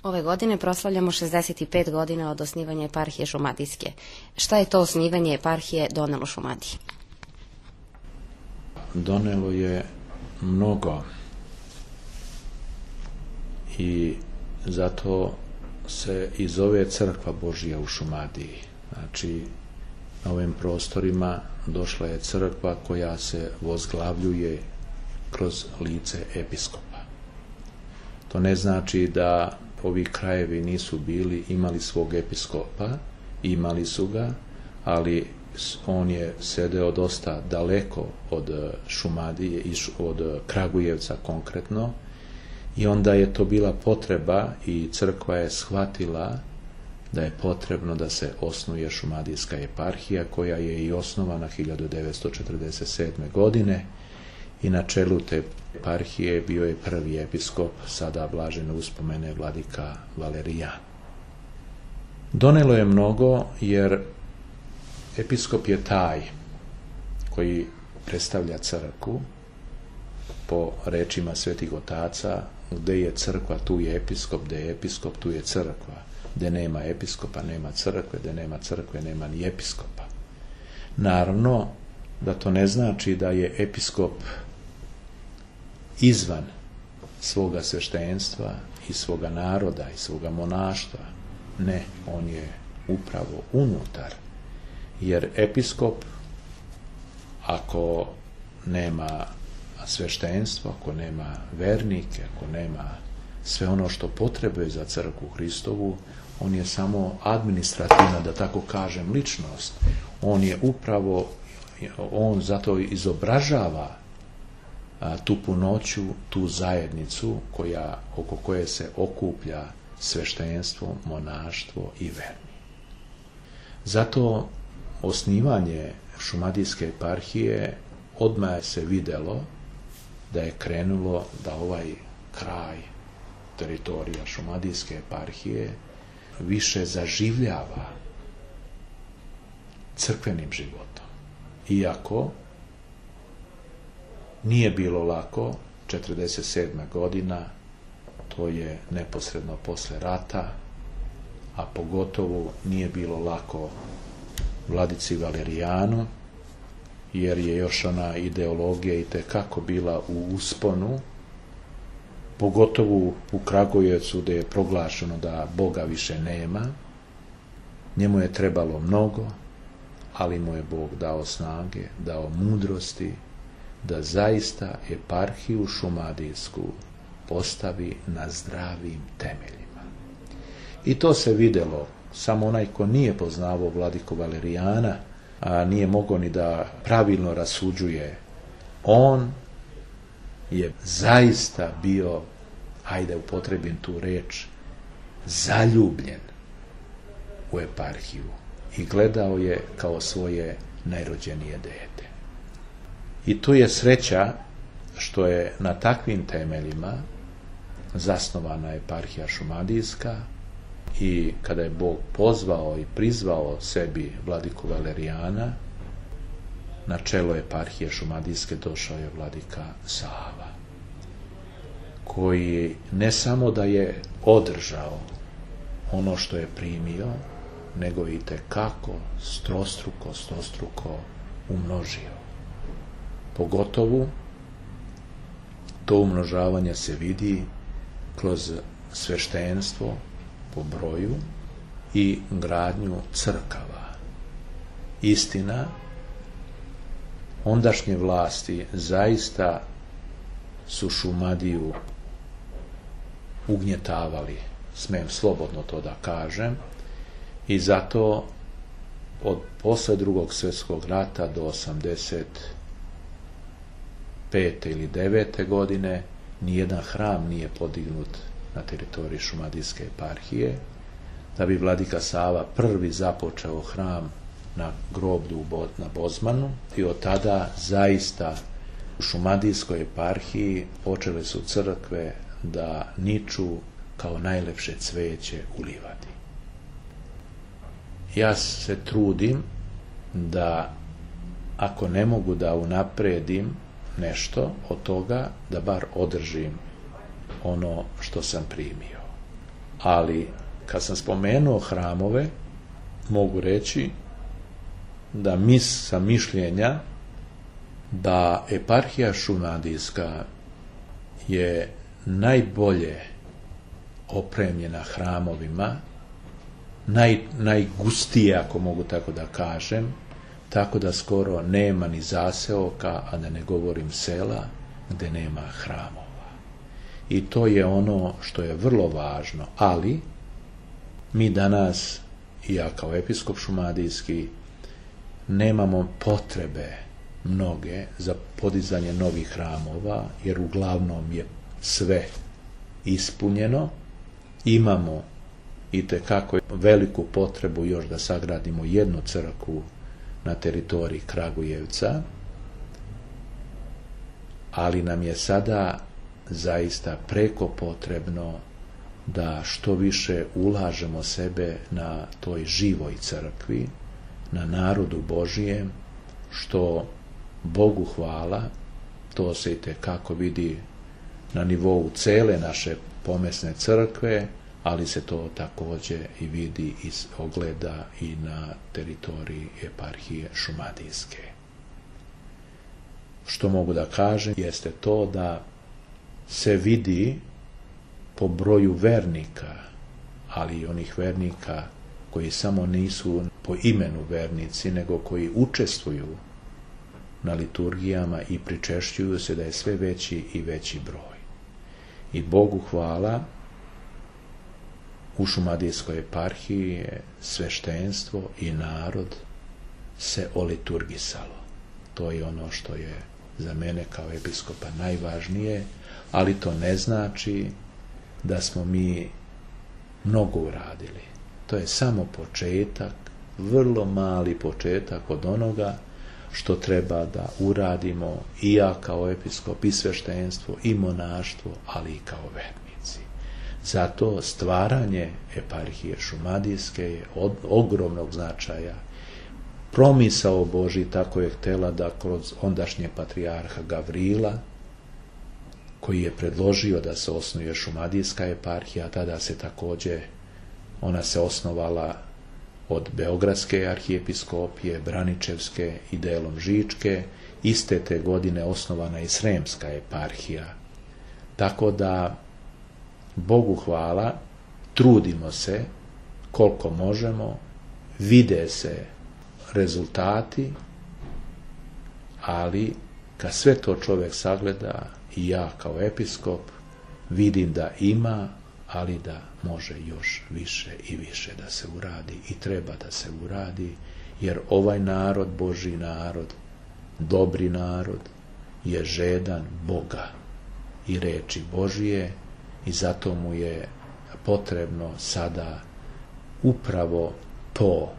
Ove godine proslavljamo 65 godina od osnivanja eparhije Šumadijske. Šta je to osnivanje eparhije donelo Šumadiji? Donelo je mnogo i zato se i zove Crkva Božja u Šumadiji. Znači, na ovim prostorima došla je crkva koja se vozglavljuje kroz lice episkopa. To ne znači da ovi krajevi nisu imali svog episkopa, imali su ga, ali on je sedeo dosta daleko od Šumadije, od Kragujevca konkretno, i onda je to bila potreba i crkva je shvatila da je potrebno da se osnuje Šumadijska eparhija, koja je i osnovana 1947. godine, i na čelu te eparhije bio je prvi episkop, sada blažene uspomene, vladika Valerijan. Donelo je mnogo, jer episkop je taj koji predstavlja crkvu. Po rečima svetih otaca, gde je crkva, tu je episkop, gde je episkop, tu je crkva. Gde nema episkopa, nema crkve, gde nema crkve, nema ni episkopa. Naravno da to ne znači da je episkop izvan svoga sveštenstva i svoga naroda i svoga monaštva. Ne, on je upravo unutar. Jer episkop, ako nema sveštenstvo, ako nema vernike, ako nema sve ono što potrebuje za crkvu Hristovu, on je samo administrativna, da tako kažem, ličnost. On je upravo, on zato izobražava tu punoću, tu zajednicu oko koje se okuplja sveštenstvo, monaštvo i verni. Zato osnivanje Šumadijske eparhije odmah se videlo da je krenulo da ovaj kraj, teritorija Šumadijske eparhije više zaživljava crkvenim životom. Iako nije bilo lako, 47. godina, to je neposredno posle rata, a pogotovo nije bilo lako vladici Valerijanu, jer je još ona ideologija i tekako bila u usponu, pogotovo u Kragujevcu, gde je proglašeno da Boga više nema. Njemu je trebalo mnogo, ali mu je Bog dao snage, dao mudrosti, da zaista eparhiju Šumadijsku postavi na zdravim temeljima. I to se videlo. Samo onaj ko nije poznavao vladiku Valerijana, a nije mogao ni da pravilno rasuđuje, on je zaista bio, hajde upotrebim tu reč, zaljubljen u eparhiju i gledao je kao svoje najrođenije dete. I tu je sreća što je na takvim temeljima zasnovana eparhija Šumadijska, i kada je Bog pozvao i prizvao sebi vladiku Valerijana, na čelo eparhije Šumadijske došao je vladika Sava, koji ne samo da je održao ono što je primio, nego i tekako stostruko umnožio. Pogotovo to umnožavanje se vidi kroz sveštenstvo po broju i gradnju crkava. Istina, ondašnje vlasti zaista su Šumadiju ugnjetavali, smem slobodno to da kažem, i zato od posle Drugog svjetskog rata do 85. ili 9. godine nijedan hram nije podignut na teritoriji Šumadijske eparhije, da bi vladika Sava prvi započeo hram na groblju na Bozmanu, i od tada zaista u Šumadijskoj eparhiji počele su crkve da niču kao najlepše cveće u livadi. Ja se trudim da, ako ne mogu da unapredim nešto od toga, da bar održim ono što sam primio. Ali kad sam spomenuo hramove, mogu reći da sam mišljenja da eparhija šumadijska je najbolje opremljena hramovima, najgustije, ako mogu tako da kažem, tako da skoro nema ni zaseoka, a da ne govorim sela, gde nema hramova. I to je ono što je vrlo važno, ali mi danas, i ja kao episkop šumadijski, nemamo potrebe mnoge za podizanje novih hramova, jer uglavnom je sve ispunjeno. Imamo itekako veliku potrebu još da sagradimo jednu crkvu na teritoriji Kragujevca, ali nam je sada zaista preko potrebno da što više ulažemo sebe na toj živoj crkvi, na narodu Božijem, što Bogu hvala, to se itekako vidi na nivou cele naše pomesne crkve, ali se to takođe i vidi i ogleda i na teritoriji eparhije šumadijske. Što mogu da kažem jeste to da se vidi po broju vernika, ali i onih vernika koji samo nisu po imenu vernici, nego koji učestvuju na liturgijama i pričešćuju se, da je sve veći i veći broj. I Bogu hvala, u šumadijskoj eparhiji je sveštenstvo i narod se oliturgisalo. To je ono što je za mene kao episkopa najvažnije, ali to ne znači da smo mi mnogo uradili. To je samo početak, vrlo mali početak od onoga što treba da uradimo i ja kao episkop, i sveštenstvo, i monaštvo, ali i kao vernici. Zato stvaranje eparhije šumadijske je od ogromnog značaja. Promisao Božji tako je htela da kroz ondašnje patrijarha Gavrila, koji je predložio da se osnuje šumadijska eparhija, tada se takođe, ona se osnovala od Beogradske arhijepiskopije, Braničevske i delom Žičke, iste te godine osnovana i Sremska eparhija. Tako da, Bogu hvala, trudimo se koliko možemo, vide se rezultati, ali kad sve to čovjek sagleda, i ja kao episkop vidim da ima, ali da može još više i više da se uradi i treba da se uradi, jer ovaj narod, Božji narod, dobri narod, je žedan Boga i reči Božije, i zato mu je potrebno sada upravo to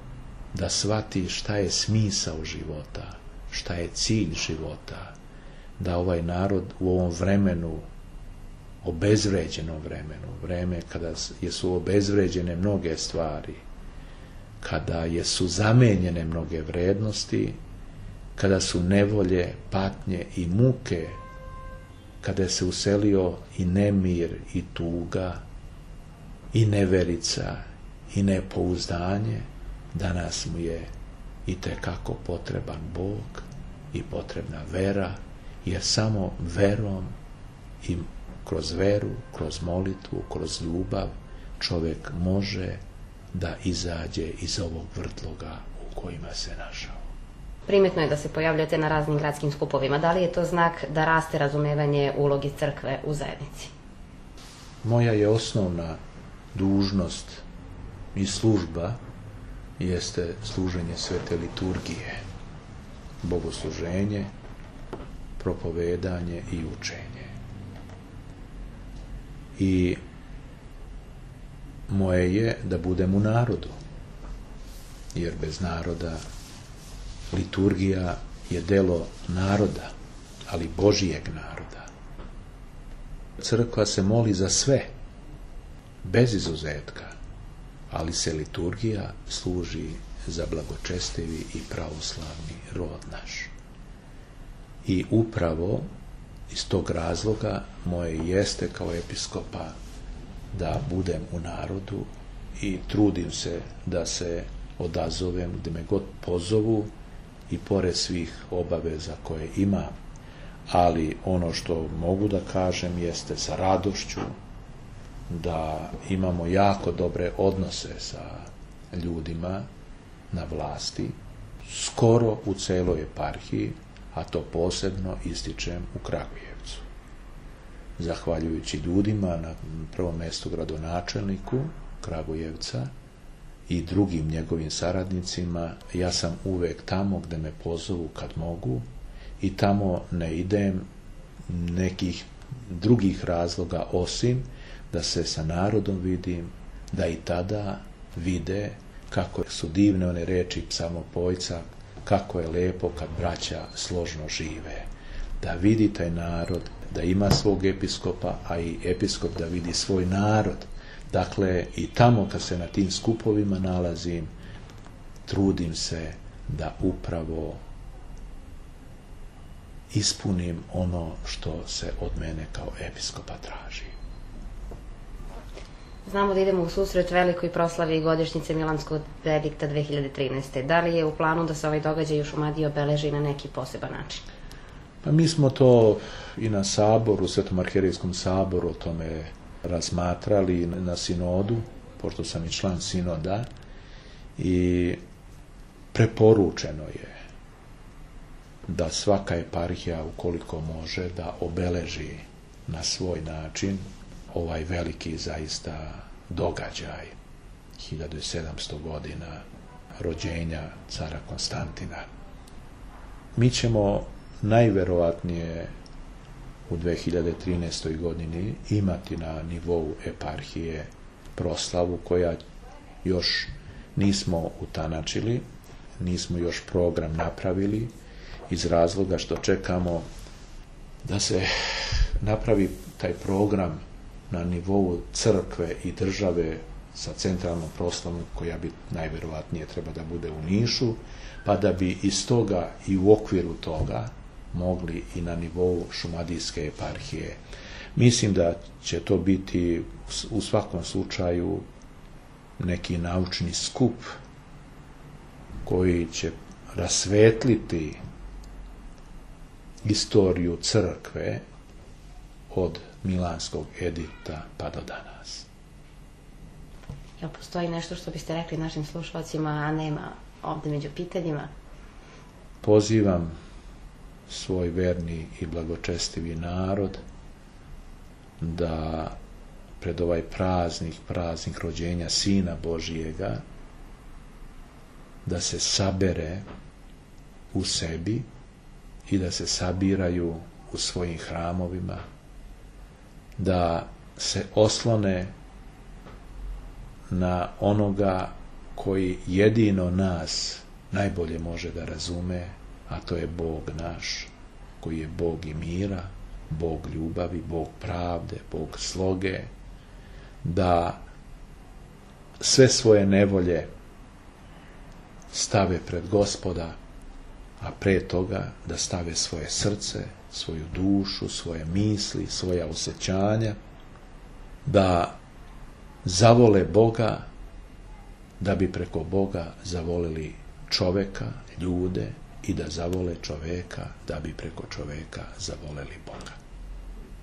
da shvati šta je smisao života, šta je cilj života, da ovaj narod u ovom vremenu, obezvređenom vremenu, vreme kada su obezvređene mnoge stvari, kada su zamenjene mnoge vrednosti, kada su nevolje, patnje i muke, kada se uselio i nemir i tuga i neverica i nepouzdanje, danas mu je itekako potreban Bog i potrebna vera, jer samo verom i kroz veru, kroz molitvu, kroz ljubav čovjek može da izađe iz ovog vrtloga u kojima se našao. Primetno je da se pojavljate na raznim gradskim skupovima. Da li je to znak da raste razumevanje uloge crkve u zajednici? Moja je osnovna dužnost i služba jeste služenje svete liturgije, bogosluženje, propovedanje i učenje. I moje je da budem u narodu, jer bez naroda liturgija je delo naroda, ali Božijeg naroda. Crkva se moli za sve, bez izuzetka, ali se liturgija služi za blagočestivi i pravoslavni rod naš. I upravo iz tog razloga moje jeste kao episkopa da budem u narodu i trudim se da se odazovem gde me god pozovu i pored svih obaveza koje imam. Ali ono što mogu da kažem jeste sa radošću da imamo jako dobre odnose sa ljudima na vlasti, skoro u celoj eparhiji, a to posebno ističem u Kragujevcu. Zahvaljujući ljudima, na prvom mestu gradonačelniku Kragujevca i drugim njegovim saradnicima, ja sam uvek tamo gde me pozovu kad mogu i tamo ne idem nekih drugih razloga osim da se sa narodom vidim, da i tada vide kako su divne one reči psalmopojca, kako je lepo kad braća složno žive. Da vidi taj narod, da ima svog episkopa, a i episkop da vidi svoj narod. Dakle, i tamo kad se na tim skupovima nalazim, trudim se da upravo ispunim ono što se od mene kao episkopa traži. Znamo da idemo u susret velikoj proslavi godišnjice Milanskog edikta 2013. Da li je u planu da se ovaj događaj u Šumadiji obeleži na neki poseban način? Pa mi smo to i na saboru, Svetom arhijerejskom saboru o tome razmatrali na sinodu, pošto sam i član sinoda, i preporučeno je da svaka eparhija, ukoliko može, da obeleži na svoj način ovaj veliki zaista događaj 1700 godina rođenja cara Konstantina. Mi ćemo najverovatnije u 2013. godini imati na nivou eparhije proslavu koja još nismo utanačili, nismo još program napravili iz razloga što čekamo da se napravi taj program na nivou crkve i države sa centralnom proslavom koja bi najverovatnije treba da bude u Nišu, pa da bi iz toga i u okviru toga mogli i na nivou šumadijske eparhije. Mislim da će to biti u svakom slučaju neki naučni skup koji će rasvetliti istoriju crkve od Milanskog edikta pa do danas. Jel postoji nešto što biste rekli našim slušalcima, a nema ovde među pitanjima? Pozivam svoj verni i blagočestivi narod da pred ovaj praznik rođenja Sina Božijega, da se sabere u sebi i da se sabiraju u svojim hramovima, da se oslone na onoga koji jedino nas najbolje može da razume, a to je Bog naš, koji je Bog i mira, Bog ljubavi, Bog pravde, Bog sloge, da sve svoje nevolje stave pred Gospoda, a pre toga da stave svoje srce, svoju dušu, svoje misli, svoja osjećanja, da zavole Boga, da bi preko Boga zavoleli čoveka, ljude, i da zavole čoveka, da bi preko čoveka zavoleli Boga.